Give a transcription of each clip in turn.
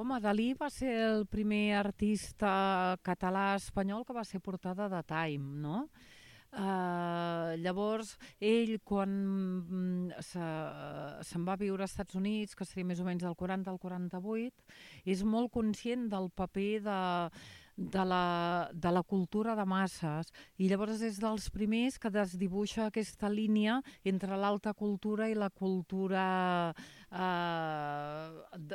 Home, Dalí va ser el primer artista català-espanyol que va ser portada de Time, no? Llavors, ell, quan se'n va viure als Estats Units, que seria més o menys del 40 al 48, és molt conscient del paper de la cultura de masses i llavors és dels primers que desdibuixa aquesta línia entre l'alta cultura i la cultura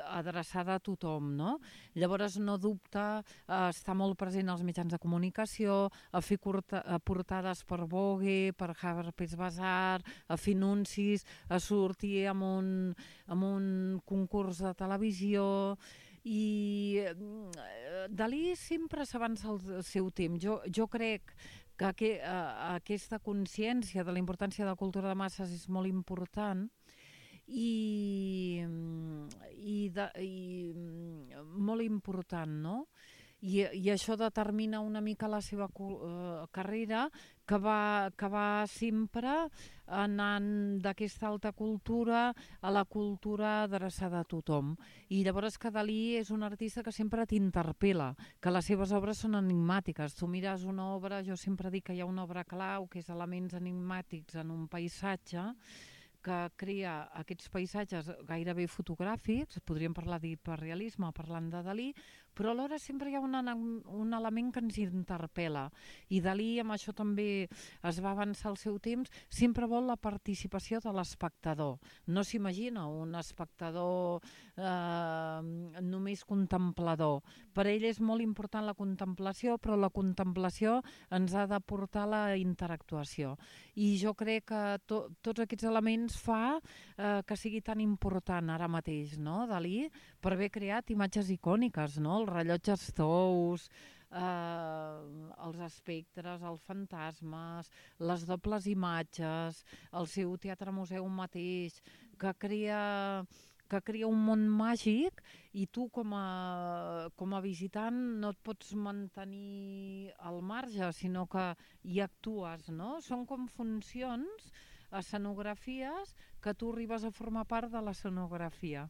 adreçada a tothom, no? Llavors no dubta, està molt present als mitjans de comunicació, a fer portades per Vogue, per Harper's Bazaar, a fer anuncis, a sortir amb un concurs de televisió i Dalí sempre s'avança al seu temps. Jo crec que aquesta consciència de la importància de la cultura de masses és molt important i molt important, no? I això determina una mica la seva carrera, que va sempre anant d'aquesta alta cultura a la cultura adreçada a tothom. I llavors que Dalí és un artista que sempre t'interpel·la, que les seves obres són enigmàtiques. Tu mires una obra, jo sempre dic que hi ha una obra clau, que és elements enigmàtics en un paisatge, que crea aquests paisatges gairebé fotogràfics, podríem parlar d'hiperrealisme parlant de Dalí, però alhora sempre hi ha un element que ens interpel·la. I Dalí, amb això també es va avançar al seu temps, sempre vol la participació de l'espectador. No s'imagina un espectador només contemplador. Per ell és molt important la contemplació, però la contemplació ens ha de portar a la interactuació. I jo crec que tots aquests elements fa que sigui tan important ara mateix, no, Dalí, per haver creat imatges icòniques, no? Els rellotges tous, els espectres, els fantasmes, les dobles imatges, el seu teatre-museu mateix, que crea un món màgic i tu com a visitant no et pots mantenir al marge, sinó que hi actues, no? Són com funcions, escenografies, que tu arribes a formar part de l'escenografia.